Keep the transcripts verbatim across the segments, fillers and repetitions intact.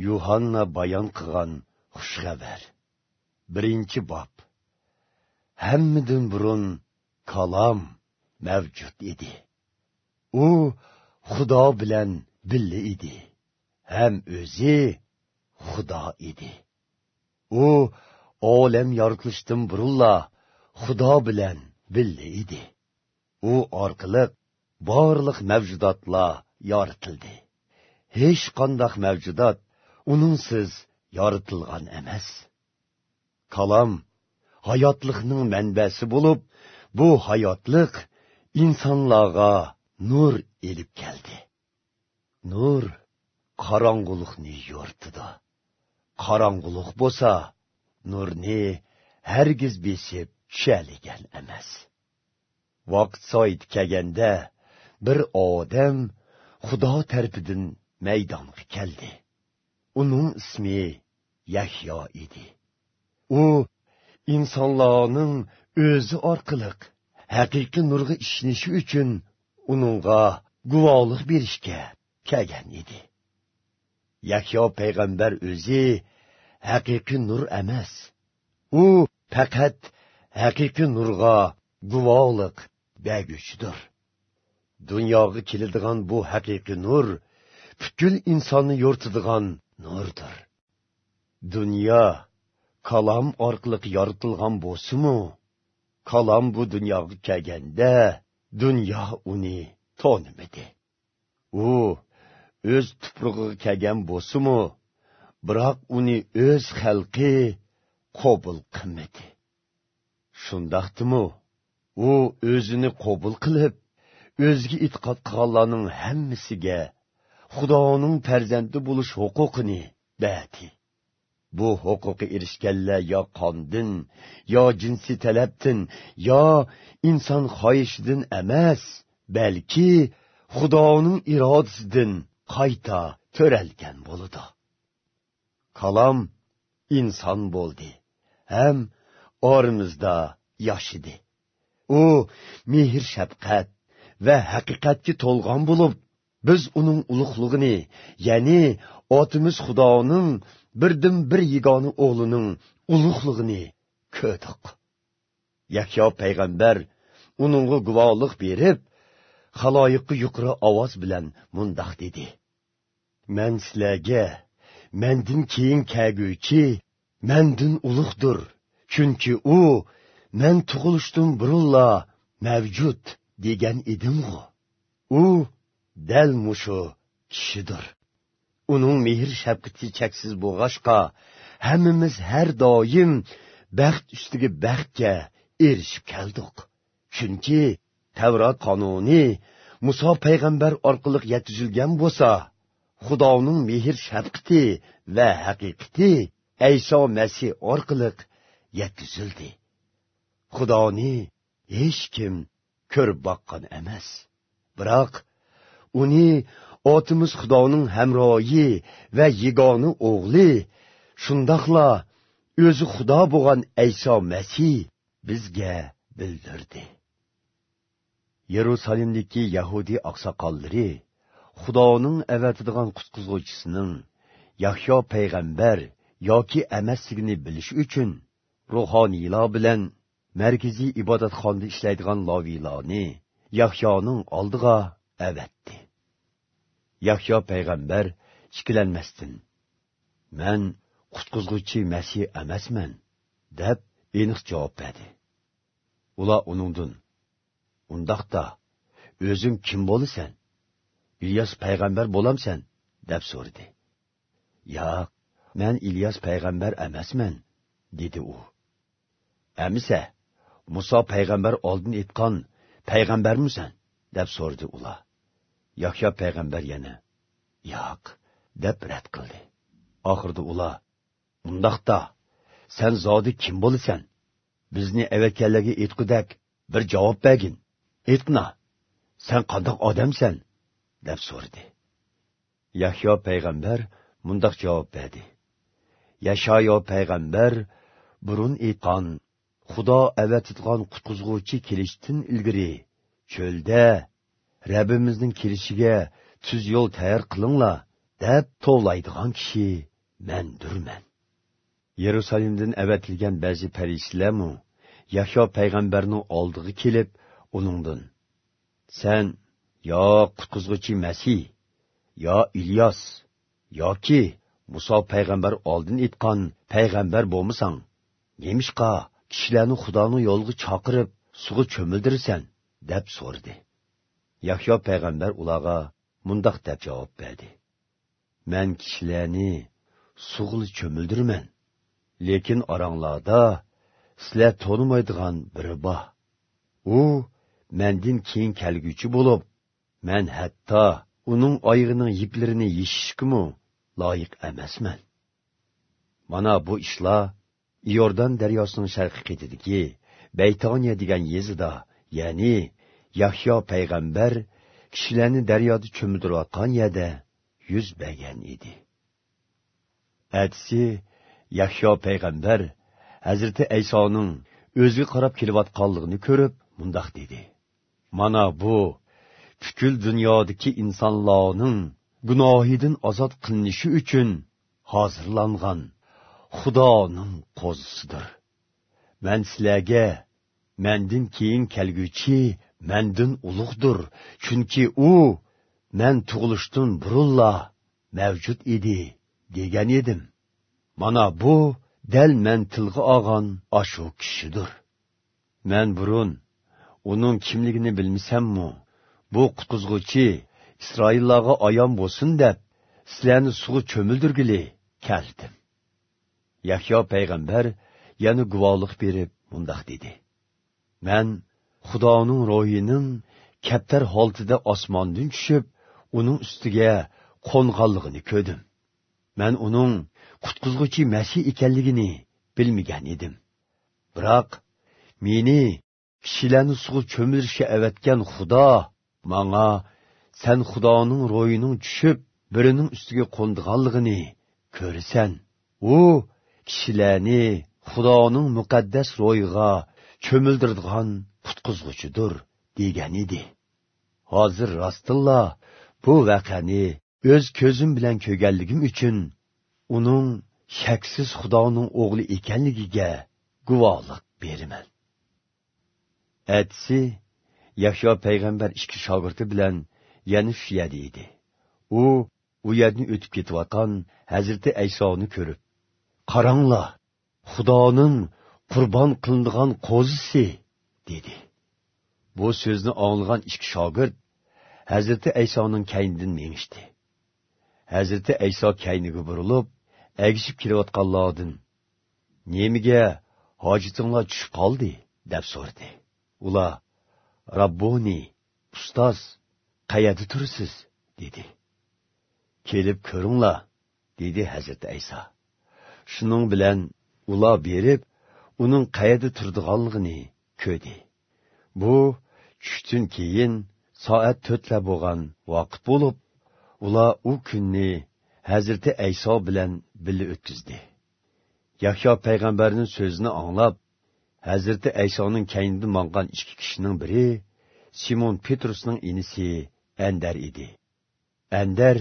يۇھاننا بايان قىلغان خۇش خەۋەر. بىرىنچى باب. ھەممىدىن بۇرۇن كالام مەۋجۇت ئىدى. ئۇ خۇدا بىلەن بىللە ئىدى. ھەم ئۆزى خۇدا ئىدى. ئۇ ئالەم يارىتىلىشتىن بۇرۇنلا خۇدا بىلەن بىللە ئىدى. ئۇ ئارقىلىق بارلىق مەۋجۇداتلار يارىتىلدى. ھېچقانداق مەۋجۇدات ئۇنىڭسىز يارىتىلغان ئەمەس. كالام ھاياتلىقنىڭ مەنبەسى بولۇپ، بۇ ھاياتلىق ئىنسانلارغا نۇر ئېلىپ كەلدى. نۇر قاراڭغۇلۇقنى يورۇتىدۇ. قاراڭغۇلۇق بولسا نۇرنى ھەرگىز بېسىپ چۈشەلىگەن ئەمەس. ۋاقىت سائىتى كەلگەندە، بىر ئادەم خۇدا تەرىپىدىن مەيدانغا كەلدى. ئۇنىڭ ئىسمى يەھيا ئىدى. ئۇ ئىنسانلارنىڭ ئۆزى ئارقىلىق ھەقىقىي نۇرغا ئىشىنىشى ئۈچۈن ئۇنىڭغا گۇۋاھلىق بېرىشكە كەلگەن ئىدى. يەھيا پەيغەمبەر ئۆزى ھەقىقىي نۇر ئەمەس. ئۇ پەقەت ھەقىقىي نۇرغا گۇۋاھلىق بەرگۈچىدۇر. دۇنياغا كېلىدىغان بۇ ھەقىقىي نۇر پۈتكۈل ئىنساننى يورۇتىدىغان نۇردۇر. دۇنيا كالام ئارقىلىق يارىتىلغان بولسىمۇ، كالام بۇ دۇنياغا كەلگەندە، دۇنيا ئۇنى تونۇمىدى. ئۇ ئۆز تۇپرىقىغا كەلگەن بولسىمۇ، بىراق ئۇنى ئۆز خەلقى قوبۇل قىلمىدى. شۇنداقتىمۇ، ئۇ ئۆزىنى قوبۇل قىلىپ، ئۆزىگە ئېتىقاد قىلغانلارنىڭ ھەممىسىگە خۇدانىڭ پەرزەنتى بولۇش ھوقۇقىنى بەردى. بۇ ھوقۇققا ئېرىشكەنلەر يا قاندىن، يا جىنسىي تەلەپتىن، يا ئىنسان خاھىشىدىن ئەمەس، بەلكى خۇدانىڭ ئىرادىسىدىن قايتا تۆرەلگەن بولىدۇ. كالام ئىنسان بولدى ھەم ئارىمىزدا ياشىدى. ئۇ مېھىر-شەپقەت ۋە ھەقىقەتكە تولغان بولۇپ، بىز ئۇنىڭ ئۇلۇغلۇقىنى، يەنى ئاتىمىز خۇدانىڭ بىردىنبىر يېگانە ئوغلىنىڭ ئۇلۇغلۇقىنى كۆردۇق. يەھيا پەيغەمبەر ئۇنىڭغا گۇۋاھلىق بېرىپ، خالايىققا يۇقىرى ئاۋاز بىلەن مۇنداق دېدى: مەن سىلەرگە، مەندىن كېيىن كەلگۈچى مەندىن ئۇلۇغدۇر، چۈنكى ئۇ مەن تۇغۇلۇشتىن بۇرۇنلا مەۋجۇت دېگەن ئىدىمغۇ. ئۇ دەل مۇشۇ كىشىدۇر. ئۇنىڭ مېھىر-شەپقىتى چەكسىز بولغاچقا، ھەممىمىز ھەر دائىم بەخت ئۈستىگە بەختكە ئېرىشىپ كەلدۇق. چۈنكى تەۋرات قانۇنى مۇسا پەيغەمبەر ئارقىلىق يەتكۈزۈلگەن بولسا، خۇدانىڭ مېھىر-شەپقىتى ۋە ھەقىقىتى ئەيسا مەسىھ ئارقىلىق يەتكۈزۈلدى. خۇدانى ھېچكىم كۆرۈپ باققان ئەمەس. بىراق، ئۇنى ئاتىمىز خۇدانىڭ ھەمراھى ۋە يېگانە ئوغلى، شۇنداقلا ئۆزى خۇدا بولغان ئەيسا مەسىھ بىزگە بىلدۈردى. يېرۇسالېمدىكى يەھۇدىي ئاقساقاللىرى خۇدانىڭ ئەۋەتىدىغان قۇتقۇزغۇچىسىنىڭ يەھيا پەيغەمبەر ياكى ئەمەسلىكىنى بىلىش ئۈچۈن، روھانىيلار بىلەن مەركىزىي ئىبادەتخانىدا ئىشلەيدىغان لاۋىيلارنى يەھيانىڭ ئالدىغا ئەۋەتتى. يەھيا پەيغەمبەر ئىككىلەنمەستىن، «مەن قۇتقۇزغۇچى مەسىھ ئەمەسمەن» دەپ ئېنىق جاۋاب بەردى. ئۇلار ئۇنىڭدىن، «ئۇنداقتا، ئۆزۈڭ كىم بولىسەن؟ ئىلياس پەيغەمبەر بولامسەن؟» دەپ سورىدى. «ياق، مەن ئىلياس پەيغەمبەر ئەمەسمەن» دېدى ئۇ. «ئەمىسە، مۇسا پەيغەمبەر ئالدىن ئېيتقان پەيغەمبەرمۇسەن؟» دەپ سورىدى ئۇلار. يەھيا پەيغەمبەر يەنە، «ياق» دەپ رەت قىلدى. ئاخىرىدا ئۇلار، «ئۇنداقتا، سەن زادى كىم بولىسەن؟ بىزنى ئەۋەتكەنلەرگە ئېيتقۇدەك بىر جاۋاب بەرگىن. ئېيتقىنا، سەن قانداق ئادەمسەن؟» دەپ سورىدى. يەھيا پەيغەمبەر مۇنداق جاۋاب بەردى: «يەشايا پەيغەمبەر بۇرۇن ئېيتقان، خۇدا ئەۋەتىدىغان قۇتقۇزغۇچى كېلىشتىن ئىلگىرى چۆلدە، رەببىمىزنىڭ كېلىشىگە تۈز يول تەييار قىلىڭلار، دەپ توۋلايدىغان كىشى مەندۇرمەن. يېرۇسالېمدىن ئەۋەتىلگەن بەزى پەرىسىيلەرمۇ يەھيا پەيغەمبەرنىڭ ئالدىغا كېلىپ، ئۇنىڭدىن، سەن يا قۇتقۇزغۇچى مەسىھ، يا ئىلياس، ياكى مۇسا پەيغەمبەر ئالدىن ئېيتقان پەيغەمبەر بولمىساڭ، نېمىشقا كىشىلەرنى خۇدانىڭ يولىغا چاقىرىپ، سۇغا چۆمۈلدۈرىسەن؟ دەپ سورىدى. يەھيا پەيغەمبەر ئۇلارغا مۇنداق دەپ جاۋاب بەردى: مەن كىشىلەرنى سۇغىلا چۆمۈلدۈرىمەن. لېكىن ئاراڭلاردا سىلەر تونۇمايدىغان بىرى بار. ئۇ مەندىن كېيىن كەلگۈچى بولۇپ، مەن ھەتتا ئۇنىڭ ئايىغىنىڭ يىپلىرىنى يېشىشكىمۇ لايىق ئەمەسمەن. مانا بۇ ئىشلار ئىيوردان دەرياسىنىڭ شەرقىي قېتىدىكى بەيتانىيە دېگەن يېزىدا، يەنى يەھيا پەيغەمبەر كىشىلەرنى دەريادا چۆمۈلدۈرۈۋاتقان يەردە يۈز بەرگەن ئىدى. ئەتىسى يەھيا پەيغەمبەر ھەزرىتى ئەيسانىڭ ئۆزىگە قاراپ كېلىۋاتقانلىقىنى كۆرۈپ، مۇنداق دېدى: مانا بۇ پۈتكۈل دۇنيادىكى ئىنسانلارنىڭ گۇناھىدىن ئازاد قىلىنىشى ئۈچۈن ھازىرلانغان خۇدانىڭ قوزىسىدۇر. مەن سىلەرگە، مەندىن كېيىن كەلگۈچى مەندىن ئۇلۇغدۇر، چۈنكى ئۇ مەن تۇغۇلۇشتىن بۇرۇنلا مەۋجۇت ئىدى، دېگەن ئىدىم. مانا بۇ دەل مەن تىلغا ئالغان ئاشۇ كىشىدۇر. مەن بۇرۇن ئۇنىڭ كىملىكىنى بىلمىسەممۇ، بۇ قۇتقۇزغۇچى ئىسرائىللارغا ئايان بولسۇن دەپ، سىلەرنى سۇغا چۆمۈلدۈرگىلى كەلدىم. يەھيا پەيغەمبەر يەنە گۇۋاھلىق بېرىپ مۇنداق دېدى: مەن خۇدانىڭ روھىنىڭ كەپتەر ھالىتىدە ئاسماندىن چۈشۈپ، ئۇنىڭ ئۈستىگە قونغانلىقىنى كۆردۈم. مەن ئۇنىڭ قۇتقۇزغۇچى مەسىھ ئىكەنلىكىنى بىلمىگەن ئىدىم. بىراق، مېنى كىشىلەرنى سۇغا چۆمۈلۈشكە ئەۋەتكەن خۇدا ماڭا، سەن خۇدانىڭ روھىنىڭ چۈشۈپ، بىرىنىڭ ئۈستىگە قونىدىغانلىقىنى كۆرىسەن. ئۇ كىشىلەرنى خۇدانىڭ مۇقەددەس روھىغا چۆمۈلدۈرىدىغان قۇتقۇزغۇچىدۇر، دېگەن ئىدى. ھازىر راستتىنلا بۇ ۋەقەنى ئۆز كۆزۈم بىلەن كۆرگەنلىكىم ئۈچۈن، ئۇنىڭ شەكسىز خۇدانىڭ ئوغلى ئىكەنلىكىگە گۇۋاھلىق بېرىمەن. ئەتىسى يەھيا پەيغەمبەر ئىككى شاگىرتى بىلەن يەنە شۇ يەردە ئىدى. ئۇ ئۇ يەردىن ئۆتۈپ كېتىۋاتقان ھەزرىتى ئەيسانى كۆرۈپ، قاراڭلار، خۇدانىڭ قۇربان قىلىنىدىغان قوزىسى، دېدى. بۇ سۆزنى ئاڭلىغان ئىككى شاگىرت ھەزرىتى ئەيسانىڭ كەينىدىن مېڭىشتى. ھەزرىتى ئەيسا كەينىگە بۇرۇلۇپ، ئەگىشىپ كېلىۋاتقانلاردىن، نېمىگە ھاجىتىڭلار چۈشۈپ قالدى؟ دەپ سورىدى. ئۇلار، راببونى، ئۇستاز، قەيەردە تۇرىسىز؟ دېدى. كېلىپ كۆرۈڭلار، دېدى ھەزرىتى ئەيسا. شۇنىڭ بىلەن ئۇلار بېرىپ، ئۇنىڭ قەيەردە تۇرىدىغانلىقىنى كۆردى. بۇ چۈشتىن كېيىن سائەت تۆتلەر بولغان ۋاقىت بولۇپ، ئۇلار ئۇ كۈننى ھەزرىتى ئەيسا بىلەن بىللە ئۆتكۈزدى. يەھيا پەيغەمبەرنىڭ سۆزىنى ئاڭلاپ، ھەزرىتى ئەيسانىڭ كەينىدىن ماڭغان ئىككى كىشىنىڭ بىرى سىمون پېترۇسنىڭ ئىنىسى ئەندەر ئىدى. ئەندەر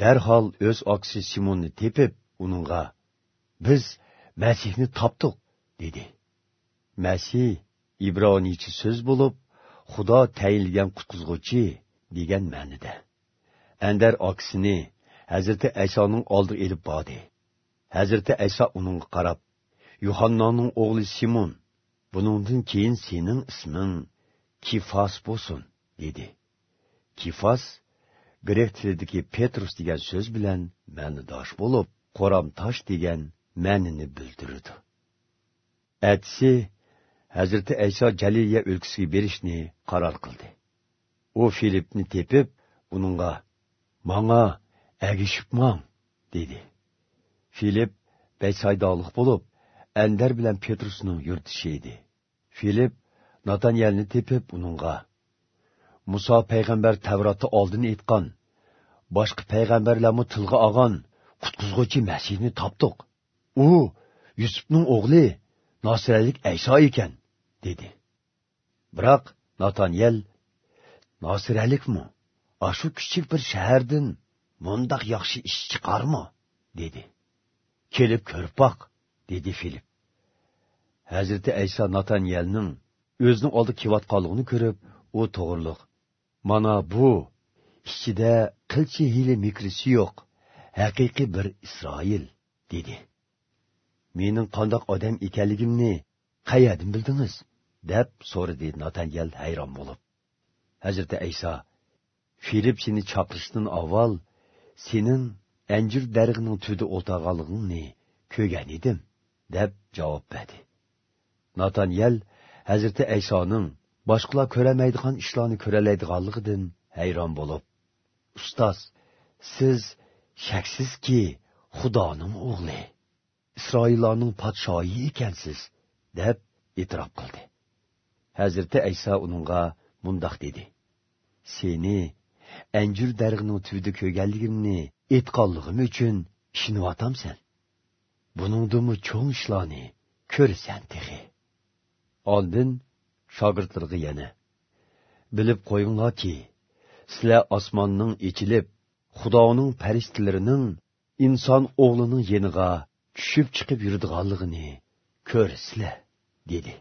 دەرھال ئۆز ئاكىسى سىموننى تېپىپ، ئۇنىڭغا، بىز مەسىھنى تاپتۇق، دېدى. مەسىھ ئىبرانىيچە سۆز بولۇپ، خۇدا تەيىنلىگەن قۇتقۇزغۇچى دېگەن مەنىدە. ئەندەر ئاكىسىنى ھەزرىتى ئەيسانىڭ ئالدىغا ئېلىپ باردى. ھەزرىتى ئەيسا ئۇنىڭغا قاراپ، يوھاننانىڭ ئوغلى سىمون، بۇنىڭدىن كېيىن سېنىڭ ئىسمىڭ كىفاس بولسۇن، دېدى. كىفاس گرېك تىلىدىكى پېترۇس دېگەن سۆز بىلەن مەنىداش بولۇپ، قورام تاش دېگەن مەنىنى بىلدۈرىدۇ. ئەتىسى ھەزرىتى ئەيسا جەلىلىيە ئۆلكىسىگە بېرىشنى قارار قىلدى. ئۇ فىلىپنى تېپىپ، ئۇنىڭغا، ماڭا ئەگىشىپ ماڭ، دېدى. فىلىپ بەيتسايدالىق بولۇپ، ئەندەر بىلەن پېترۇسنىڭ يۇرتدىشى ئىدى. فىلىپ ناتانيەلنى تېپىپ، ئۇنىڭغا، مۇسا پەيغەمبەر تەۋراتتا ئالدىن ئېيتقان، باشقا پەيغەمبەرلەرمۇ تىلغا ئالغان قۇتقۇزغۇچى مەسىھنى تاپتۇق. ئۇ يۈسۈپنىڭ ئوغلى ناسىرەلىك ئەيسا ئىكەن، دېدى. بىراق ناتانيەل، ناسىرەلىكمۇ؟ ئاشۇ كىچىك بىر شەھەردىن مۇنداق ياخشى ئىش چىقارمۇ؟» دېدى. «كېلىپ كۆرۈپ باق»، دېدى فىلىپ. ھەزرىتى ئەيسا ناتانىيەلنىڭ ئۆزىنىڭ ئالدىغا كېلىۋاتقانلىقىنى كۆرۈپ، ئۇ توغرۇلۇق: «مانا بۇ، ئىچىدە قىلچە ھىيلە-مىكرىسى يوق، ھەقىقىي بىر ئىسرائىل»، دېدى. «مېنىڭ قانداق ئادەم ئىكەنلىكىمنى قەيەردىن بىلدىڭىز؟» دەپ سورىدى ناتانىيەل ھەيران بولۇپ. ھەزرىتى ئەيسا: «فىلىپ سېنى چاقىرىشتىن ئاۋۋال سېنىڭ ئەنجۈر دەرىخىنىڭ تۈۋىدە ئولتۇرغانلىقىڭنى كۆرگەن ئىدىم» دەپ جاۋاب بەردى. ناتانىيەل ھەزرىتى ئەيسانىڭ باشقىلار كۆرەلمەيدىغان ئىشلارنى كۆرەلەيدىغانلىقىدىن ھەيران بولۇپ: «ئۇستاز، سىز شەكسىزكى خۇدانىڭ ئوغلى، ئىسرائىللارنىڭ پادىشاھى ئىكەنسىز» دەپ ئېتىراپ قىلدى. ھەزرىتى ئەيسا ئۇنىڭغا مۇنداق دېدى: «سېنى ئەنجۈر دەرىخىنىڭ تۈۋىدە كۆرگەنلىكىمنى ئېيتقانلىقىم ئۈچۈن ئىشىنىۋاتامسەن؟ بۇنىڭدىنمۇ چوڭ ئىشلارنى كۆرىسەن تېخى.» ئاندىن شاگىرتلىرىغا يەنە: «بىلىپ قويۇڭلاركى، سىلەر ئاسماننىڭ ئېچىلىپ، خۇدانىڭ پەرىشتىلىرىنىڭ ئىنسان ئوغلىنىڭ يېنىغا چۈشۈپ چىقىپ يۈرىدىغانلىقىنى كۆرىسىلەر» دېدى.